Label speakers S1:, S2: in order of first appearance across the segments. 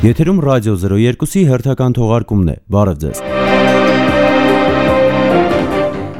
S1: Եթերում ռադիո 02-ի հերթական թողարկումն է։ Բարև ձեզ։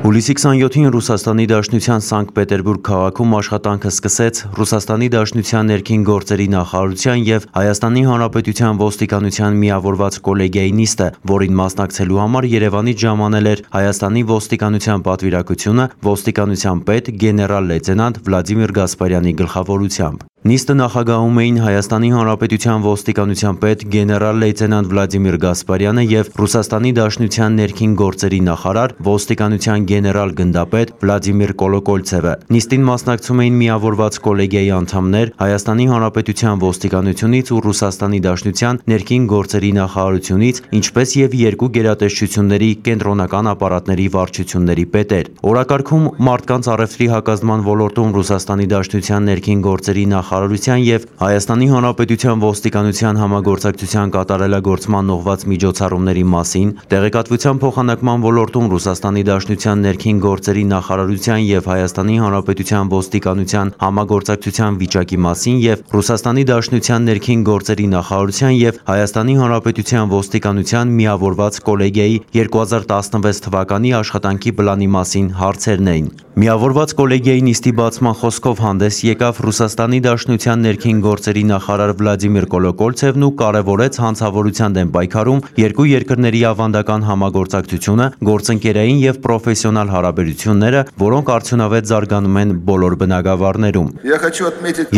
S1: Հուլիսի 27-ին Ռուսաստանի Դաշնության Սանկտ Պետերբուրգ քաղաքում աշխատանքը սկսեց Ռուսաստանի Դաշնության ներքին գործերի նախարարության և Հայաստանի Հանրապետության ոստիկանության միավորված կոլեգիայի նիստը, որին մասնակցելու համար Երևանից ժամանել էր Հայաստանի ոստիկանության պատվիրակությունը ոստիկանության պետ գեներալ-լեյտենանտ Վլադիմիր Գասպարյանի գլխավորությամբ։ Նիստը նախագահում էին Հայաստանի Հանրապետության ոստիկանության պետ գեներալ-լեյտենանտ Վլադիմիր Գասպարյանը և Ռուսաստանի Դաշնության ներքին գործերի նախարար ոստիկանության գեներալ-գնդապետ Վլադիմիր Կոլոկոլցևը։ Նիստին մասնակցում էին միավորված կոլեգիայի անդամներ Հայաստանի Հանրապետության ոստիկանությունից ու Ռուսաստանի Դաշնության ներքին գործերի նախարարությունից, ինչպես և երկու գերատեսչությունների կենտրոնական ապարատների վարչությունների պետեր։ Օրակարգում մարդկանց առևտրի հակազդման ոլորտում Ռուսաստանի Դաշնության ներքին գործերի նախարարության և Հայաստանի Հանրապետության ոստիկանության համագործակցության կատարելագործման ուղղված միջոցառումների մասին, տեղեկատվության փոխանակման ոլորտում Ռուսաստանի Դաշնության ներքին գործերի նախարարության և Հայաստանի Հանրապետության ոստիկանության համագործակցության վիճակի մասին և Ռուսաստանի Դաշնության ներքին գործերի նախարարության և Հայաստանի Հանրապետության ոստիկանության միավորված կոլեգիայի 2016 թվականի աշխատանքի պլանի մասին հարցերն էին։ Միավորված կոլեգիայի նիստի բացման խոսքով հանդես եկավ Ռուսաստանի Դաշնության ներքին գործերի նախարար Վլադիմիր Կոլոկոլցևն ու կարևորեց հանցավորության դեմ պայքարում երկու երկրների ավանդական համագործակցությունը, գործընկերային և պրոֆեսիոնալ հարաբերությունները, որոնք արդյունավետ զարգանում են բոլոր բնագավառներում։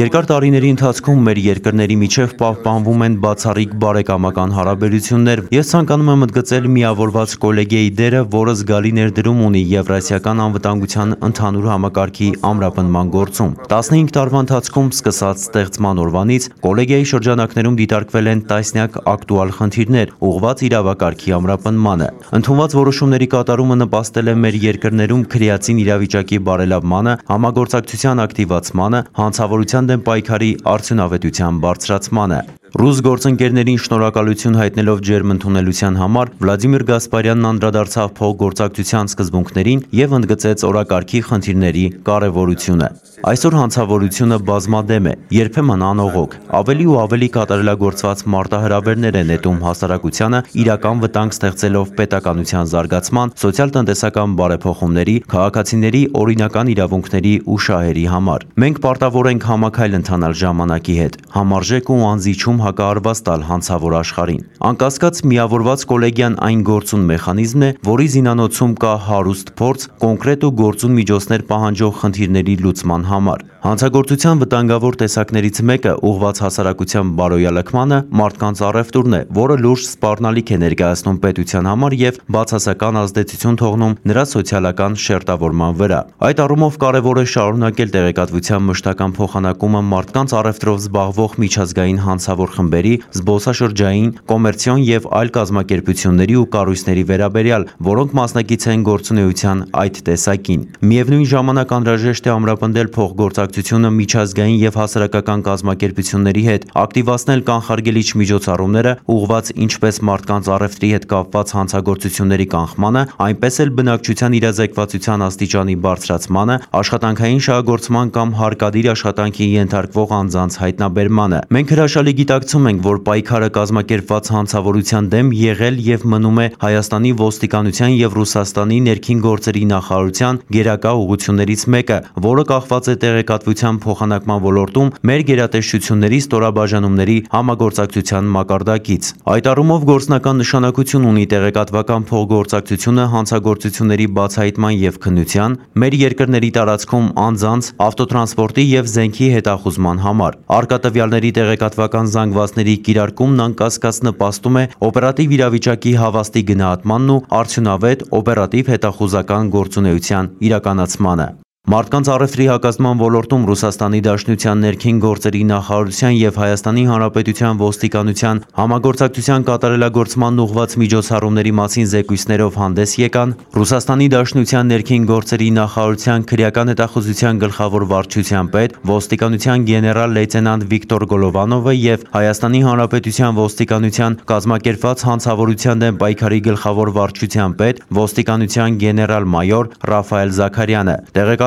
S1: Երկար տարիների ընթացքում մեր երկրների միջև պահպանվում են բացառիկ բարեկամական հարաբերություններ։ Ես ցանկանում եմ ընդգծել միավորված կոլեգիայի դերը, որը զգալի ներդրում ունի Եվրասիական անվտանգության ընդհանուր համակարգի ամրապնդման գործում։ 15 տարվա ընթացքում սկսած ստեղծման օրվանից կոլեգիայի շրջանակներում դիտարկվել են տասնյակ ակտուալ խնդիրներ, ուղղված իրավակարգի ամրապնդմանը։ Ընդունված որոշումների կատարումը նպաստել է մեր երկրներում քրեացին իրավիճակի բարելավմանը, համագործակցության ակտիվացմանը, հանցավորության դեմ պայքարի արդյունավետության բարձրացմանը։ Ռուս գործընկերներին շնորհակալություն հայտնելով ջերմ ընդունելության համար Վլադիմիր Գասպարյանն անդրադարձավ փոխգործակցության սկզբունքներին և ընդգծեց օրակարգի խնդիրների կարևորությունը։ Այսօր հանցավորությունը բազմադեմ է, երբեմն անողոք, ավելի ու ավելի կատարելագործված մարտահրավերներ է նետում հասարակությանը, իրական վտանգ ստեղծելով պետականության զարգացման, սոցիալ-տնտեսական բարեփոխումների, քաղաքացիների օրինական իրավունքների ու շահերի համար։ Մենք պարտավոր ենք համաքայլ ընթանալ ժամանակի հետ, համարժեք ու անզիջում հակահարված տալ հանցավոր աշխարհին։ Անկասկած միավորված կոլեգիան այն գործուն մեխանիզմն է, որի զինանոցում կա հարուստ փորձ կոնկրետ ու գործուն միջոցներ պահանջող խնդիրների լուծման համար։ Հանցագործության վտանգավոր տեսակներից մեկը ուղղված հասարակության բարոյալքմանը մարդկանց առևտուրն է, որը լուրջ սպառնալիք է ներկայացնում պետության համար և բացասական ազդեցություն թողնում նրա սոցիալական շերտավորման վրա։ Այդ առումով կարևոր է շարունակել տեղեկատվության մշտական փոխանակումը մարդկանց առևտրով զբաղվող միջազգային հանցավոր խմբերի, զբոսաշրջային, կոմերցիոն և այլ կազմակերպությունների ու կառույցների վերաբերյալ, որոնք մասնակից են գործունեության այդ տեսակին։ Միևնույն ժամանակ անհրաժեշտ է ամրապնդել փոխգործակցությունը միջազգային և հասարակական կազմակերպությունների հետ, ակտիվացնել կանխարգելիչ միջոցառումները, ուղղված ինչպես մարդկանց առևտրի հետ կապված հանցագործությունների կանխմանը, այնպես էլ բնակչության իրազեկվածության աստիճանի բարձրացմանը, աշխատանքային շահագործման կամ հարկադիր աշխատանքի ենթարկվող անձանց հայտնաբերմանը։ Մենք հրաշալի գիտակցում ենք, որ պայքարը կազմակերպված հանցավորության դեմ եղել և մնում է Հայաստանի ոստիկանության և Ռուսաստանի ներքին գործերի նախարարության գերակա ուղղություններից մեկը, որը կախված է տեղեկատվության փոխանակման ոլորտում մեր գերատեսչությունների ստորաբաժանումների համագործակցության մակարդակից։ Այդ առումով գործնական նշանակություն ունի տեղեկատվական փոխգործակցությունը հանցագործությունների բացահայտման և քննության, մեր երկրների տարածքում անձանց, ավտոտրանսպորտի և զենքի հետախուզման համար։ Առկա տվյալների տեղեկատվական զանգվածների կիրարկումն անկասկած նպաստում է օպերատիվ իրավիճակի հավաստի գնահատմանն ու արդյունավետ օպերատիվ հետախուզական գործունեության իրականացմանը։ Մարդկանց առևտրի հակազդման ոլորտում Ռուսաստանի Դաշնության ներքին գործերի նախարարության և Հայաստանի Հանրապետության ոստիկանության համագործակցության կատարելագործման ուղղված միջոցառումների մասին զեկույցներով հանդես եկան Ռուսաստանի Դաշնության ներքին գործերի նախարարության քրեական հետախուզության գլխավոր վարչության պետ, ոստիկանության գեներալ-լեյտենանտ Վիկտոր Գոլովանովը և Հայաստանի Հանրապետության ոստիկանության կազմակերպված հանցավորության դեմ պայքարի գլխավոր վարչության պետ, ոստիկանության գեներալ-մայոր Ռաֆայել Զաքարյանը։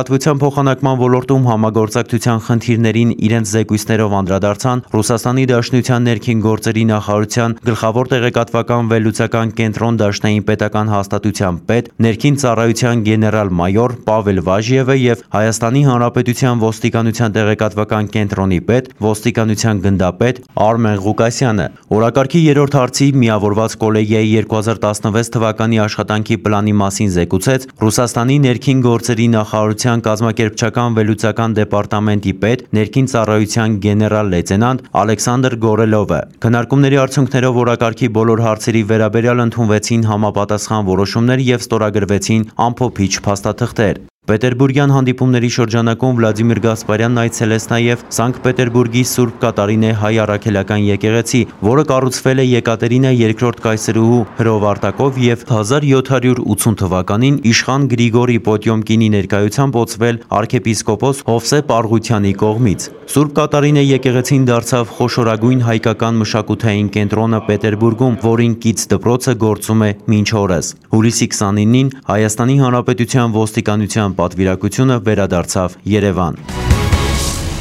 S1: Տեղեկատվության փոխանակման ոլորտում համագործակցության խնդիրներին իրենց զեկույցներով անդրադարձան Ռուսաստանի Դաշնության ներքին գործերի նախարարության գլխավոր տեղեկատվական վերլուծական կենտրոն դաշնային պետական հաստատության պետ, ներքին ծառայության գեներալ-մայոր Պավել Վաժիևը եւ Հայաստանի Հանրապետության ոստիկանության տեղեկատվական կենտրոնի պետ, ոստիկանության գնդապետ Արմեն Ղուկասյանը։ Օրակարգի երրորդ հարցի միավորված կոլեգիայի 2016 թվականի աշխատանքի պլանի մասին զեկուցեց Ռուսաստանի ներքին գործերի նախարարության կազմակերպչական վերլուծական դեպարտամենտի պետ, ներքին ծառայության գեներալ-լեյտենանտ Ալեքսանդր Գորելովը։ Քննարկումների արդյունքներով օրակարգի բոլոր հարցերի վերաբերյալ ընդունվեցին համապատասխան որոշումներ եւ ստորագրվեցին ամփոփիչ փաստաթղթեր։ Պետերբուրգյան հանդիպումների շրջանակում Վլադիմիր Գասպարյանն այցելեց նաև Սանկտ Պետերբուրգի Սուրբ Կատարինե հայ առաքելական եկեղեցի, որը կառուցվել է Եկատերինա II կայսրուհու հրովարտակով եւ 1780 թվականին իշխան Գրիգորի Պոտյոմկինի ներկայությամբ ոցվել arczepiskopos Հովսեփ Արգուտյանի կողմից։ Սուրբ Կատարինե եկեղեցին դարձավ խոշորագույն հայկական մշակութային կենտրոնը Պետերբուրգում, որին կից դպրոցը գործում է մինչ օրս։ Հուլիսի 29-ին Հայաստանի Հանրապետության ոստիկանության պատվիրակությունը վերադարձավ Երևան։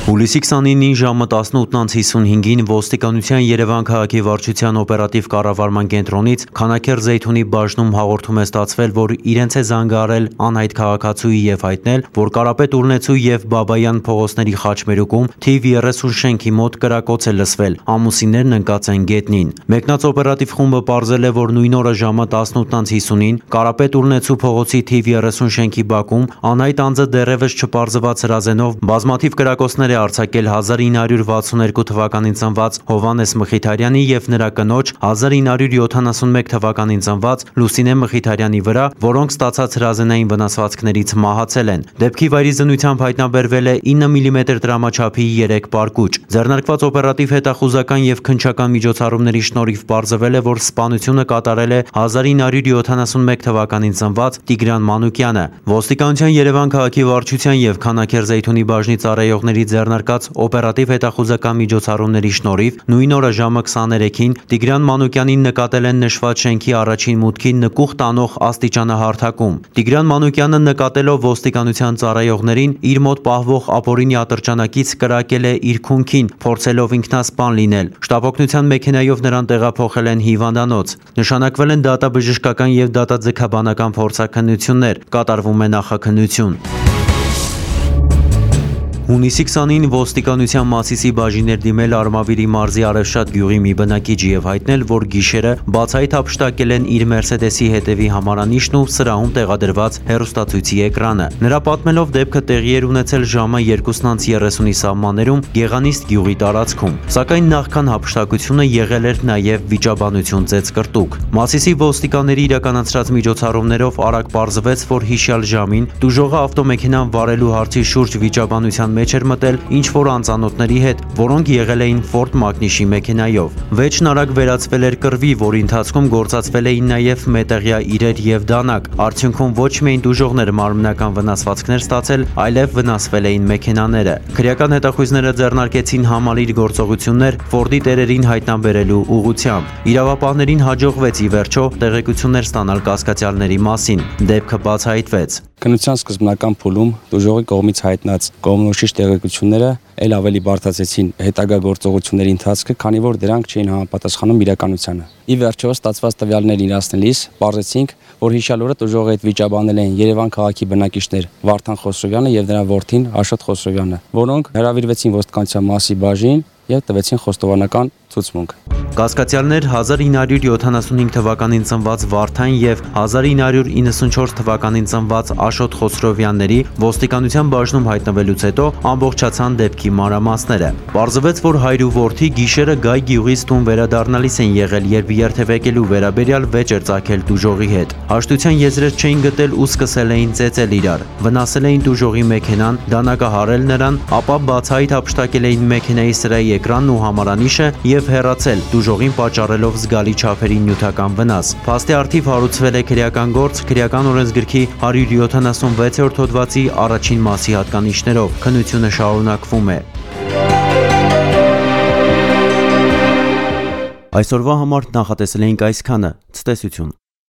S1: Հուլիսի 29-ին ժամը 18:55-ին ոստիկանության Երևան քաղաքի վարչության օպերատիվ կառավարման կենտրոնից Քանաքեռ Զեյթունի բաժնում հաղորդում է ստացվել, որ իրենց է զանգահարել անհայտ քաղաքացուի եւ հայտնել, որ Կարապետ Ուռնեցու եւ Բաբայան փողոցների խաչմերուկում թիվ 30 շենքի մոտ կրակոց է լսվել, ամուսիններն ընկած են գետնին։ Մեկնած օպերատիվ խումբը պարզել է, որ նույն օրը ժամը 18:50-ին Կարապետ Ուռնեցու փողոցի թիվ 30 շենքի բակում անհայտ անձը դեռևս չպարզված հրազենով բազմաթիվ կրակոցներ արձակել 1962 թվականին ծնված Հովանես Մխիթարյանի եւ նրա կնոջ 1971 թվականին ծնված Լուսինե Մխիթարյանի վրա, որոնք ստացած հրազենային վնասվածքներից մահացել են։ Դեպքի վայրի զննությամբ հայտնաբերվել է 9 մմ դրամաչափի 3 պարկուճ։ Ձեռնարկված օպերատիվ հետախուզական եւ քննչական միջոցառումների շնորհիվ պարզվել է, որ սպանությունը կատարել է 1971 թվականին ծնված Տիգրան Մանուկյանը։ Ոստիկանության Երևան քաղաքի վարչության եւ Քանաքեռ Զեյթունի բաժնի ծառայողների ձեռնարկած օպերատիվ հետախուզական միջոցառումների շնորհիվ նույն օրը ժամը 23-ին Տիգրան Մանուկյանին նկատել են նշված շենքի առաջին մուտքի նկուղ տանող աստիճանահարթակում։ Տիգրան Մանուկյանը նկատելով ոստիկանության ծառայողներին իր մոտ պահվող ապօրինի ատրճանակից կրակել է իր քունքին, փորձելով ինքնասպան լինել։ Շտապօգնության մեքենայով նրան տեղափոխել են հիվանդանոց։ Նշանակվել են դատաբժշկական եւ դատաձգաբանական փորձաքննություններ, կատարվում է նախաքննություն։ Հունիսի 20-ին ոստիկանության Մասիսի բաժիններ դիմել Արմավիրի մարզի Արևշատ գյուղի մի բնակիչ եւ հայտնել, որ գիշերը բացահայտ հափշտակել են իր Մերսեդեսի հետևի համարանիշն ու սրահում տեղադրված հեռուստացույցի էկրանը։ Նրա պատմելով դեպքը տեղի էր ունեցել ժամը 2:30-ի սահմաններում Գեղանիստ գյուղի տարածքում, սակայն նախքան հափշտակությունը եղել էր նաեւ վիճաբանություն ծեծկրտուկ։ Մասիսի ոստիկանների իրականացրած միջոցառումներով արագ պարզվեց, որ հիշյալ ժամին տուժողը ավտոմեքենան վարելու հարցի շուրջ վիճաբանության մեջ էր մտել ինչ-որ անծանոթների հետ, որոնք եղել էին Ford Magnus-ի մեքենայով։ Վեճն արագ վերածվել էր կռվի, որի ընթացքում գործածվել էին նաև մետաղյա իրեր եւ դանակ։ Արդյունքում ոչ միայն տուժողները մարմնական վնասվածքներ ստացել, այլև վնասվել էին մեքենաները։ Քրեական հետախույզները ձեռնարկեցին համալիր գործողություններ Ford-ի տերերին հայտնաբերելու ուղղությամբ։ Իրավապահներին հաջողվեց ի վերջո տեղեկություններ ստանալ կասկածյալների մասին։ Դեպքը բացահայտվեց։
S2: Քննության սկզբնական փուլում տուժողի կողմից հայտնած կողմնորոշիչ տեղեկությունները ել ավելի բարդացեցին հետագա գործողությունների ընթացքը, քանի որ դրանք չէին համապատասխանում իրականությանը։ Ի վերջո ստացված տվյալներ իրացնելիս պարզեցինք, որ հիշյալ օրը տուժողի հետ վիճաբանել էին Երևան քաղաքի բնակիչներ Վարդան Խոսրովյանը եւ նրա որդին Աշոտ Խոսրովյանը, որոնք հրավիրվեցին ոստիկանության Մասի բաժին եւ տվեցին խոստովանական ցուցմունք։
S1: Կասկածյալներ 1975 թվականին ծնված Վարդան եւ 1994 թվականին ծնված Աշոտ Խոսրովյանների ոստիկանության բաժնում հայտնվելուց հետո ամբողջացան դեպքի մանրամասները։ Պարզվեց, որ հայր ու որդի գիշերը Գայ գյուղից տուն վերադառնալիս են եղել, երբ երթևեկելու վերաբերյալ վեճ էր ծագել տուժողի հետ։ Հաշտության եզրեր չէին գտել ու սկսել էին ծեծել իրար։ Վնասել էին տուժողի մեքենան, դանակահարել նրան, ապա բացահայտ հափշտակել էին մեքենայի սրահի էկրանն ու համարանիշը եւ հեռացել, տուժողին պատճառելով զգալի չափերի նյութական վնաս։ Փաստի առթիվ հարուցվել է քրեական գործ քրեական օրենսգրքի 176-րդ հոդվածի առաջին մասի հատկանիշներով։ Քննությունը շարունակվում է։ Այսօրվա համար նախատեսել էինք այսքանը։ Ցտեսություն։